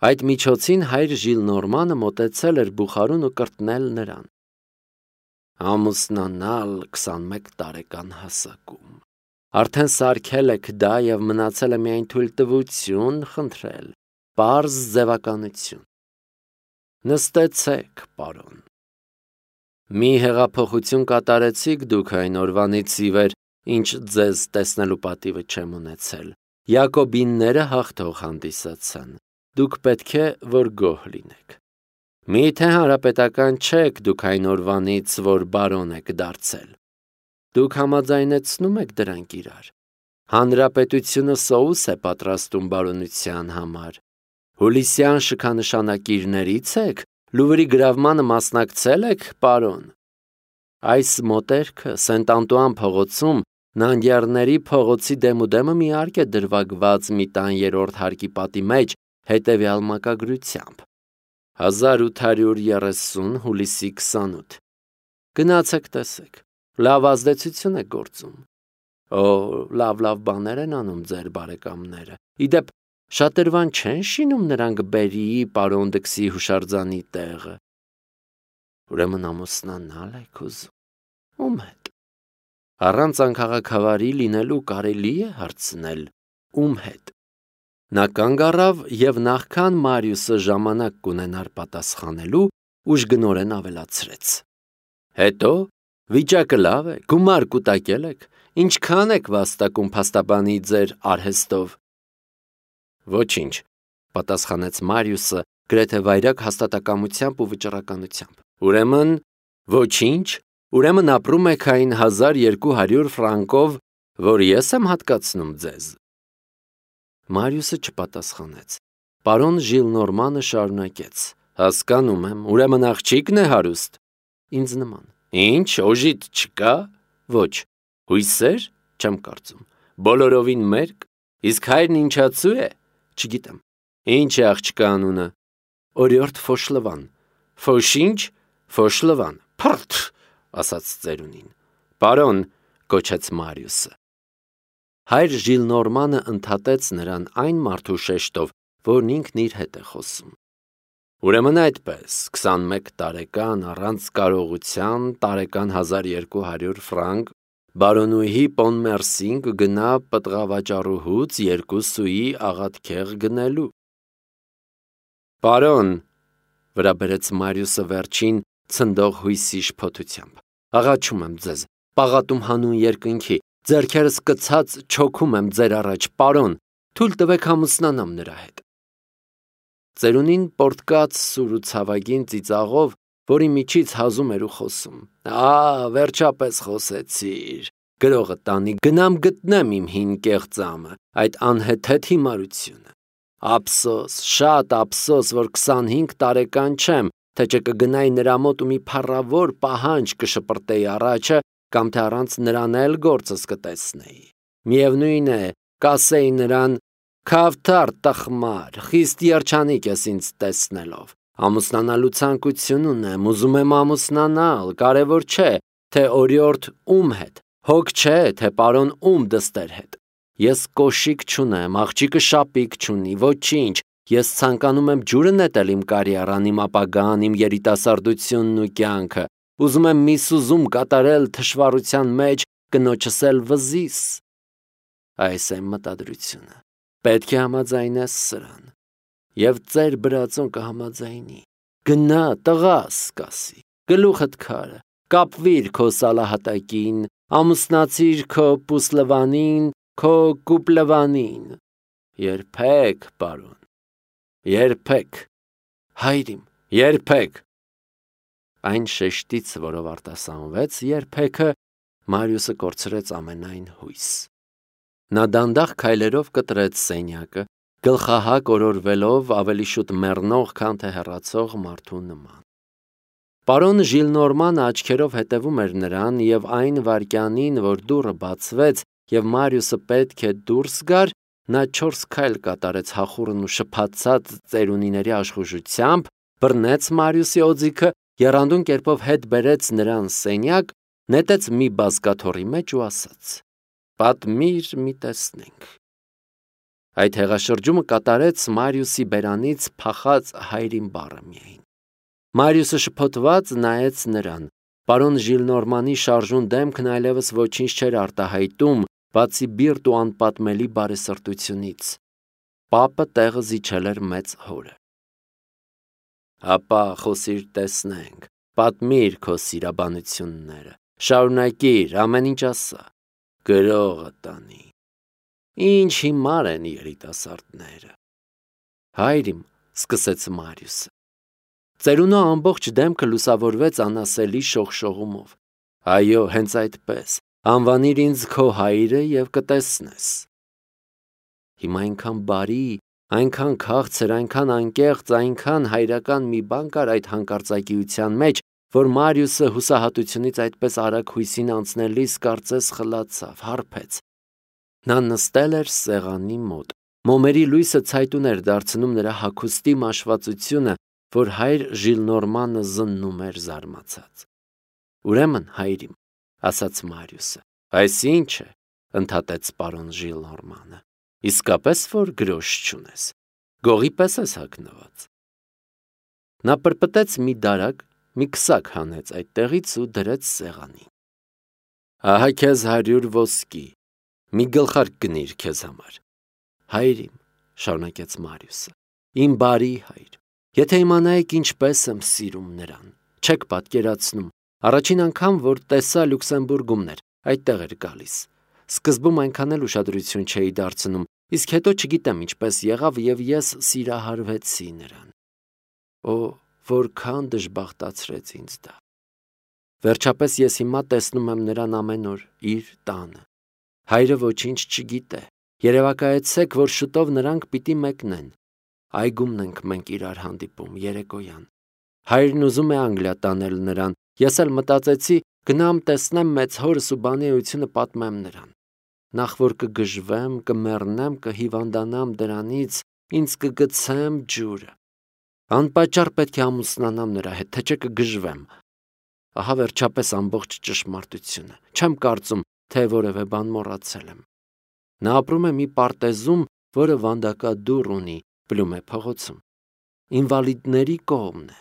Այդ միջոցին հայր Ժիլնորմանը մոտեցել էր բուխարուն ու կրտնել նրան։ Ամուսնանալ 21 տարեկան հասակում։ Արդեն սարքել եք դա և մնացել է միայն թույլտվություն խնդրել, պարզ ձևականություն։ Նստեցեք, պարոն։ Մի հեղափոխություն կատարեցիք դուք այն օրվանից ի վեր, ինչ ձեզ տեսնելու պատիվը չեմ ունեցել։ Յակոբինները հաղթող հանդիսացան։ Դուք պետք է, որ գոհ լինեք։ Միթե հանրապետական չեք դուք այն օրվանից, որ բարոն եք դարձել։ Դուք համաձայնեցնում եք դրանք իրար։ Հանրապետությունը սոուս է պատրաստում բարոնության համար։ Հուլիսյան շքանշանակիրներից եք, Լուվրի գրավմանը մասնակցել եք, պարոն։ Այս մոտերքը Սենտ Անտուան փողոցում Նանդյարների փողոցի դեմուդեմը մի արկ է դրվագված մի տան 3-րդ հարկի պատի մեջ հետևյալ մակագրությամբ. 1830 հուլիսի 28։ Գնացեք տեսեք, լավ ազդեցություն է գործում։ Օ, լավ բաներ են անում ձեր բարեկամները։ Իդեպ, շատրվան չեն շինում նրանք Բերիի պարոն Դքսի հուշարձանի տեղը։ Ուրեմն ամուսնանալ եք ուզում։ Ում հետ։ Առանց անքաղաքավարի լինելու կարելի է հարցնել ում հետ։ Նա կանգ առավ և նախքան Մարիուսը ժամանակ կունենար պատասխանելու, ուժգնորեն ավելացրեց. Հետո վիճակը լավ է, գումար կուտակել եք, ինչքան եք վաստակում փաստաբանի ձեր արհեստով։ Ոչինչ, պատասխանեց Մարիուսը գրեթե վայրագ հաստատակամությամբ ու վճռականությամբ։ Ուրեմն, ոչինչ, ուրեմն ապրում եք այն 1200 ֆրանկով, որ ես եմ հատկացնում ձեզ։ Մարիուսը չպատասխանեց։ Պարոն Ժիլնորմանը շարունակեց. Հասկանում եմ, ուրեմն աղջիկն է հարուստ։ Ինձ նման։ Ինչ, օժիտ չկա։ Ոչ, հույսեր, չեմ կարծում։ Բոլորովին մերկ։ Իսկ հայրն ինչացու է։ Չգիտեմ։ Ինչ է աղջկա անունը։ Օրիորդ Ֆոշլվան։ Ֆոշինչ, Ֆոշլվան։ Փրթ, ասաց ծերունին։ Պարոն, կոչեց Մարիուսը։ Հայր Ժիլնորմանը ընդհատեց նրան այն մարդու շեշտով, որն ինքն իր հետ է խոսում։ Ուրեմն այդպես, 21 տարեկան առանց կարողության, տարեկան 1200 ֆրանկ, բարոնուհի Պոնմերսին կգնա պտղավաճառուհուց 2 սուի աղաթքեղ գնելու։ Պարոն, վրա բերեց Մարիուսը վերջին ցնդող հույսի շփոթությամբ, աղաչում եմ ձեզ, պաղատում հանուն երկնքի, ձեռքերս կցած չոքում եմ ձեր առաջ, պարոն, թույլ տվեք ամուսնանամ նրա հետ։ Ծերունին պորտկաց սուր ու ցավագին ծիծաղով, որի միջից հազում էր ու խոսում։ Վերջապես խոսեցիր, գրողը տանի, գնամ գտնեմ իմ հին կեղծամը, այդ անհեթեթ հիմարությունը։ Ափսոս, շատ ափսոս, որ 25 տարեկան չեմ, թե չկգնայի նրա մոտ ու մի փառավոր պահանջ կշպրտեի առաջը, կամ թե առանց նրան էլ գործս կտեսնեի։ Միևնույն է, կասեի նրան. Քավթար տխմար, խիստ երջանիկ ես ինձ տեսնելով։ Ամուսնանալու ցանկություն ունեմ, ուզում եմ ամուսնանալ, կարևոր չէ, թե օրիորդ ում հետ, հոգ չէ, թե պարոն ում դստեր հետ։ Ես կոշիկ չունեմ, աղջիկը շապիկ չունի, ոչինչ, ես ցանկանում եմ ջուրը նետել իմ կարիերան, իմ ապագան, իմ երիտասարդությունն ու կյանքը, ուզում եմ մի սուզում կատարել թշվառության մեջ, կնոջս էլ վզիս։ Այս է մտադրությունը, պետք է համաձայնես սրան, և ծեր բրածոն կհամաձայնի, գնա տղաս կասի, գլուխդ քարը, կապվիր քո սալահատակին, ամուսնացիր քո Պուսլվանին, քո Կուպլվանին, երբեք, պարոն, երբեք, հայրիմ, երբեք։ Այն շեշտից, որով արտասանվեց երբեքը, Մարիուսը կորցրեց ամենայն հույս։ Նա դանդաղ քայլերով կտրեց սենյակը, գլխահակ օրորվելով ավելի շուտ մեռնող, քան թե հեռացող մարդու նման։ Պարոն Ժիլնորմանը աչքերով հետևում էր նրան, և այն վայրկյանին, որ դուռը բացվեց, և Մարիուսը պետք է դուրս գար, նա 4 քայլ կատարեց հախուռն ու շփաթած ծերունիների աշխուժությամբ, բռնեց Մարիուսի օձիքը, եռանդուն կերպով հետ բերեց նրան սենյակ, նետեց մի բազկաթոռի մեջ ու ասաց. Պատմիր մի տեսնենք։ Այդ հեղաշրջումը կատարեց Մարիուսի բերանից փախած հայրին բառը միայն։ Մարիուսը շփոթված նայեց նրան։ Պարոն Ժիլնորմանի շարժուն դեմքն այլևս ոչինչ չէր արտահայտում, բացի բիրտ ու անպատմելի բարեսրտությունից։ Պապը տեղը զիջել էր մեծ հորը։ Հապա խոսիր տեսնենք, պատմիր քո սիրաբանությունները, շարունակիր, ամեն ինչ ասա, գրողը տանի։ Ինչ հիմար են երիտասարդները։ Հայրիմ, սկսեց Մարիուսը։ Ծերունու ամբողջ դեմքը լուսավորվեց անասելի շողշողումով։ Այո, հենց այդպես, անվանիր ինձ քո հայրը և կտեսնես։ Հիմա այնքան բարի, այնքան քաղցր, այնքան անկեղծ, այնքան հայրական մի բան կար այդ հանկարծակիության մեջ, որ Մարիուսը հուսահատությունից այդպես արագ հույսին անցնելիս կարծես խլացավ, հարբեց։ Նա նստել էր սեղանի մոտ։ Մոմերի լույսը ցայտուն էր դարձնում նրա հագուստի մաշվածությունը, որ հայր Ժիլնորմանը զննում էր զարմացած։ Ուրեմն, հայրիմ, ասաց Մարիուսը, այսինչ է, ընդհատեց պարոն Ժիլնորմանը, իսկապես որ գրոշ չունես, գողի պես ես հագնված։ Նա պրպտեց մի դարակ, մի քսակ հանեց այդտեղից ու դրեց սեղանին։ Ահա քեզ 100 ոսկի, մի գլխարկ գնիր քեզ համար։ Հայրիմ, շարունակեց Մարիուսը, իմ բարի հայր, եթե իմանայիք ինչպես եմ սիրում նրան, չեք պատկերացնում, առաջին անգամ, որ տեսա Լյուքսեմբուրգումն էր, այդտեղ էր գալիս։ Սկզբում այնքան էլ ուշադրություն չէի դարձնում, իսկ հետո չգիտեմ ինչպես եղավ և ես սիրահարվեցի նրան։ Օ, որքան դժբախտացրեց ինձ դա։ Վերջապես ես հիմա տեսնում եմ նրան ամեն օր իր տանը։ Հայրը ոչինչ չգիտե, երևակայեցեք, որ շուտով նրանք պիտի մեկնեն։ Այգումն ենք մենք իրար հանդիպում երեկոյան։ Հայրն ուզում է Անգլիա տանել նրան, ես էլ մտածեցի գնամ տեսնեմ մեծ հորս ու բանի էությունը պատմեմ նրան։ Նախ որ կգժվեմ, կմեռնեմ, կհիվանդանամ դրանից, ինձ կգցեմ ջուրը։ Անպատճառ պետք է ամուսնանամ նրա հետ, թե չէ կգժվեմ։ Ահա վերջապես ամբողջ ճշմարտությունը։ Չեմ կարծում, թե որևէ բան մոռացել եմ։ Նա ապրում է մի պարտեզում, որը վանդակադուռ ունի, Պլյումե փողոցում։ Ինվալիդների կողմն է։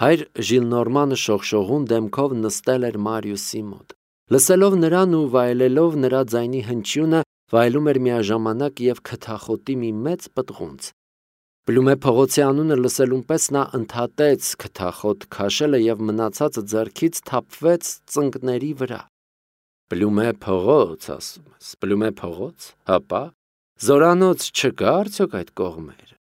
Հայր Ժիլնորմանը շողշողուն դեմքով նստել էր Մարիուսի մոտ։ Լսելով նրան ու վայելելով նրա ձայնի հնչյունը, վայելում էր միաժամանակ և քթախոտի մի մեծ պտղունց։ Պլյումե փողոցի անունը լսելուն պես նա ընդհատեց քթախոտ քաշելը և մնացածը ձեռքից թափվեց ծնկների վրա։ Պլյումե փողոց, ասում ես, Պլյումե փողոց, հապա, զորանոց չկա արդյոք այդ կողմերը։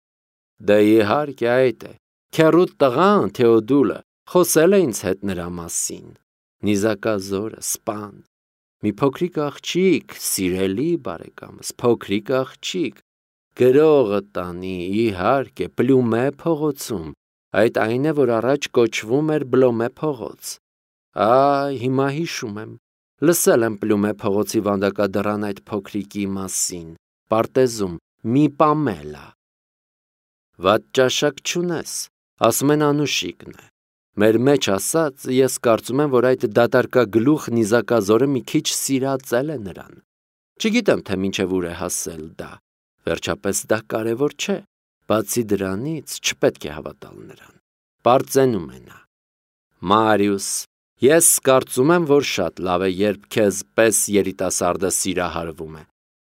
Դե իհարկե այդ է, քեռուդ տղան Թեոդուլը խոսել է ինձ հետ նրա մասին։ Նիզակազորը, սպան, մի փոքրիկ աղջիկ, սիրելի բարեկամս, փոքրիկ աղջիկ, գրողը տանի, իհարկե, Պլյումե փողոցում, այդ այն է, որ առաջ կոչվում էր Բլոմե փողոց։ Այ, հիմա հիշում եմ, լսել եմ Պլյումե փողոցի վանդակադռան այդ փոքրիկի մասին, պարտեզում, մի Պամելա։ Վատ ճաշակ չունես, ասում են Անուշիկն է։ Մեր մեջ ասած, ես կարծում եմ, որ այդ դատարկագլուխ նիզակազորը մի քիչ սիրածել է նրան։ Չգիտեմ, թե մինչև ուր է հասել դա։ Վերջապես դա կարևոր չէ։ Բացի դրանից չպետք է հավատալ նրան։ Պարծենում է նա։ Մարիուս, ես կարծում եմ, որ շատ լավ է, երբ քեզ պես երիտասարդը սիրահարվում է։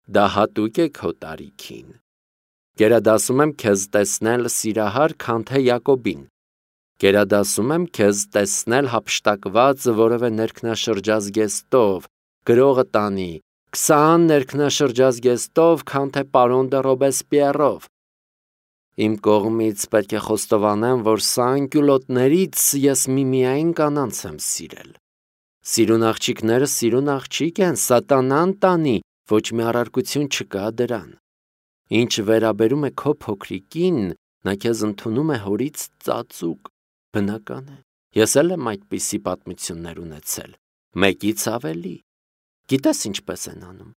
Դա հատուկ է քո տարիքին։ Գերադասում եմ քեզ տեսնել սիրահար, քան թե Յակոբին։ Գերադասում եմ քեզ տեսնել հափշտակված որևէ ներքնաշրջազգեստով, գրողը տանի, 20 ներքնաշրջազգեստով, քան թե պարոն դը Ռոբեսպիեռով։ Իմ կողմից պետք է խոստովանեմ, որ սա անկյուլոտներից ես միմիայն կանանց եմ սիրել։ Սիրուն աղջիկները սիրուն աղջիկ են, սատանան տանի, ոչ մի առարկություն չկա դրան։ Ինչ վերաբերում է քո փոքրիկին, նա քեզ ընդունում է հորից ծածուկ, բնական է։ Ես էլ եմ այդպիսի պատմություններ ունեցել, մեկից ավելի։ Գիտես ինչպես են անում։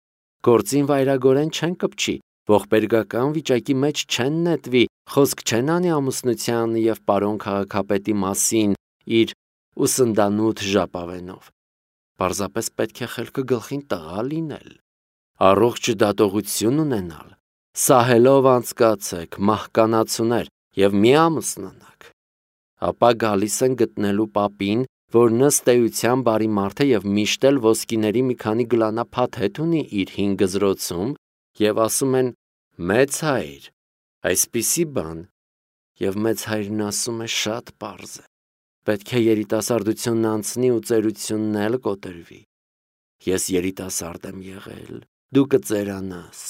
Գործին վայրագորեն չեն կպչի, ողբերգական վիճակի մեջ չեն նետվի, խոսք չեն անի ամուսնության և պարոն քաղաքապետի մասին իր ուսնդանութ ժապավենով։ Պարզապես պետք է խելքը գլխին տղա լինել, առողջ դատողություն ունենալ, սահելով անցկացեք, մահկանացուներ, և մի ամուսնանաք։ Ապա գալիս են գտնելու պապին, որ ըստ էության բարի մարդ է և միշտ էլ ոսկիների մի քանի գլանափաթ հետ ունի իր հին գզրոցում, և ասում են. «Մեծ հայր, այսպիսի բան», և մեծ հայրն ասում է. «Շատ պարզ է, պետք է երիտասարդությունն անցնի ու ծերությունն էլ կոտրվի։ Ես երիտասարդ եմ եղել, դու կծերանաս։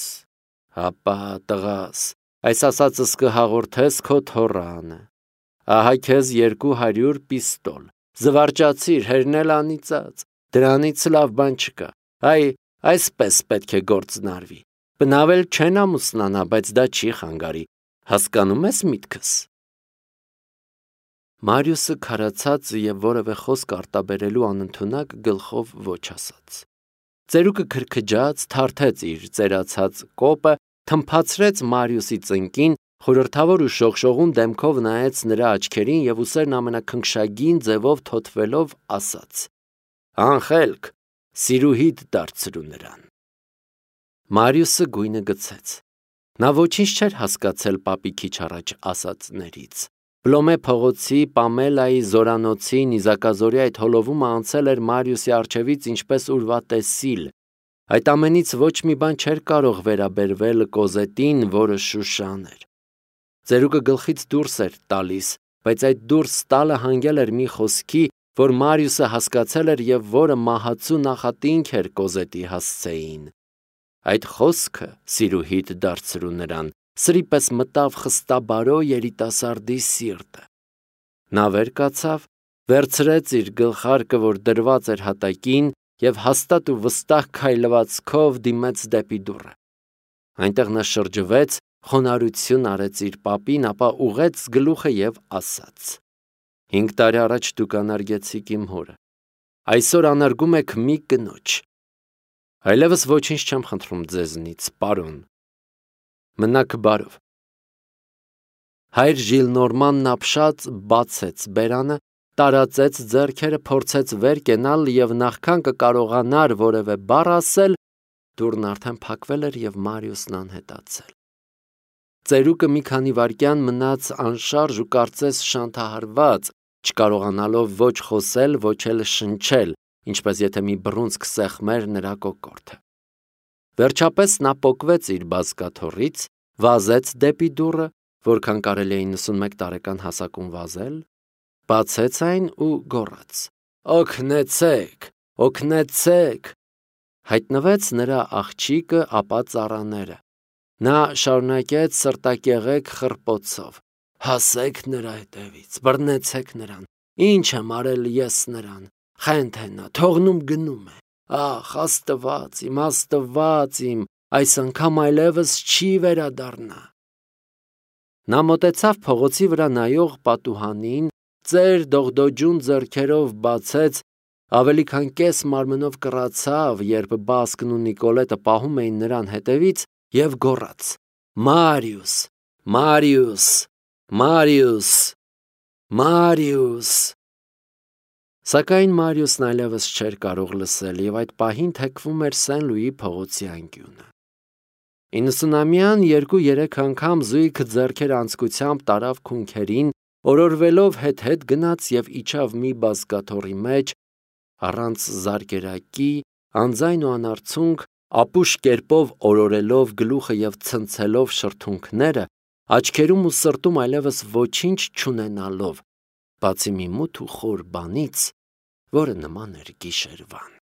Հապա տղաս, այս ասածս կհաղորդես քո թոռանը։ Ահա քեզ 200 պիստոլ, զվարճացիր, հերնել անիծած, դրանից լավ բան չկա, այսպես պետք է գործնարվի։ Բնավ էլ չեն ամուսնանա, բայց դա չի խանգարի, հասկանում ես միտքս»։ Մարիուսը քարացած և որևէ խոսք արտաբերելու անընդունակ գլխով ոչ ասաց։ Ծերուկը քրքջաց, թարթեց իր ծերացած կոպը, թմփացրեց Մարիուսի ծնկին, խորհրդավոր ու շողշողուն դեմքով նայեց նրա աչքերին և ուսերն ամենաքնքշագին ձևով թոթվելով ասաց. «Անխելք, սիրուհիդ դարձրու նրան»։ Մարիուսը գույնը գցեց։ Նա ոչինչ չէր հասկացել պապի քիչ առաջ ասածներից։ Պլոմե փողոցի, Պամելայի, Զորանոցի, նիզակազորի այդ հոլովումը անցել էր Մարիուսի առջևից ինչպես ուրվատեսիլ։ Այդ ամենից ոչ մի բան չէր կարող վերաբերվել Կոզետին, որը Շուշան էր։ Ծերուկը գլխից դուրս էր տալիս, բայց այդ դուրս տալը հանգել էր մի խոսքի, որ Մարիուսը հասկացել էր և որը մահացու նախատինք էր Կոզետի հասցեին։ Այդ խոսքը, սիրուհիդ դարձրու նրան, սրի պես մտավ խստաբարո երիտասարդի սիրտը։ Նա վեր կացավ, վերցրեց իր գլխարկը, որ դրված էր հատակին, և հաստատ ու վստահ քայլվածքով դիմեց դեպի դուռը։ Այնտեղ նա շրջվեց, խոնարհություն արեց իր պապին, ապա ուղղեց գլուխը և ասաց. 5 տարի առաջ դուք անարգեցիք իմ հորը, այսօր անարգում եք մի կնոջ։ Այլևս ոչինչ չեմ խնդրում ձեզնից, պարոն։ Մնաք բարով։ Հայր Ժիլնորմանն ապշած բացեց բերանը, տարածեց ձեռքերը, փորձեց վեր կենալ և նախքան կկարողանար որևէ բառ ասել, դուռն արդեն փակվել էր և Մարիուսն անհետացել։ Ծերուկը մի քանի վայրկյան մնաց անշարժ ու կարծես շանթահարված, չկարողանալով ոչ խոսել, ոչ էլ շնչել, ինչպես եթե մի բռունցք սեղմեր նրա կոկորդը։ Վերջապես նա պոկվեց իր բազկաթոռից, վազեց դեպի դուռը, որքան կարելի է 91 տարեկան հասակում վազել, բացեց այն ու գոռաց. «Օգնեցե՛ք, օգնեցե՛ք»։ Հայտնվեց նրա աղջիկը, ապա ծառաները։ Նա շարունակեց սրտակեղեկ խռպոցով. «Հասեք նրա հետևից, բռնեցեք նրան, ինչ եմ արել ես նրան, խենթ է նա, թողնում գնում է, ախ, Աստված իմ, այս անգամ այլևս չի վերադառնա»։ Նա մոտեցավ փողոցի վրա նայող պատուհանին, ծեր դողդոջուն ձեռքերով բացեց, ավելի քան կես մարմնով կռացավ, երբ Բասկն ու Նիկոլետը պահում էին նրան հետևից, և գոռաց. «Մարիուս, Մարիուս, Մարիուս, Մարիուս»։ Սակայն Մարիուսն այլևս չէր կարող լսել և այդ պահին թեքվում էր Սեն-Լուի փողոցի անկյունը։ 90-ամյան 2-3 անգամ զույգ ձեռքեր անցկությամբ տարավ քունքերին, օրորվելով հետ-հետ գնաց և իջավ մի բազկաթոռի մեջ, առանց զարկերակի, անձայն ու անարցունք, ապուշ կերպով օրորելով գլուխը և ցնցելով շրթունքները, աչքերում ու սրտում այլևս ոչինչ չունենալով, բացի մի մութ ու խոր բանից, որը նման էր գիշերվան։